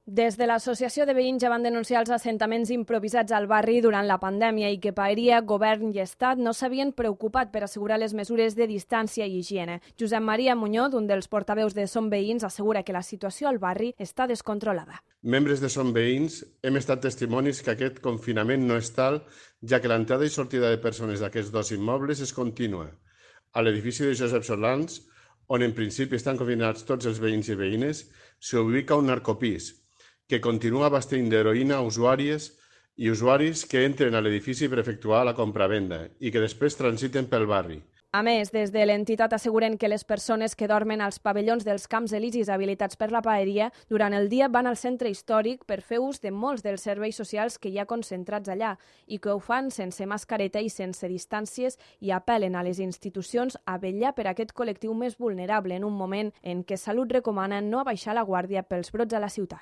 Des de l'Associació de Veïns ja van denunciar els assentaments improvisats al barri durant la pandèmia i que paeria, govern i estat no s'havien preocupat per assegurar les mesures de distància i higiene. Josep Maria Muñoz, un dels portaveus de Som Veïns, assegura que la situació al barri està descontrolada. Membres de Som Veïns hem estat testimonis que aquest confinament no és tal, ja que l'entrada i sortida de persones d'aquests dos immobles és contínua. A l'edifici de Josep Solans, on en principi estan confinats tots els veïns i veïnes, s'hi ubica un narcopís, que continua abastint d'heroïna a usuàries i usuaris que entren a l'edifici per efectuar la compravenda i que després transiten pel barri. A més, des de l'entitat asseguren que les persones que dormen als pavellons dels Camps Elisis habilitats per la paeria durant el dia van al centre històric per fer ús de molts dels serveis socials que hi ha concentrats allà i que ho fan sense mascareta i sense distàncies i apel·len a les institucions a vetllar per aquest col·lectiu més vulnerable en un moment en què Salut recomana no abaixar la guàrdia pels brots a la ciutat.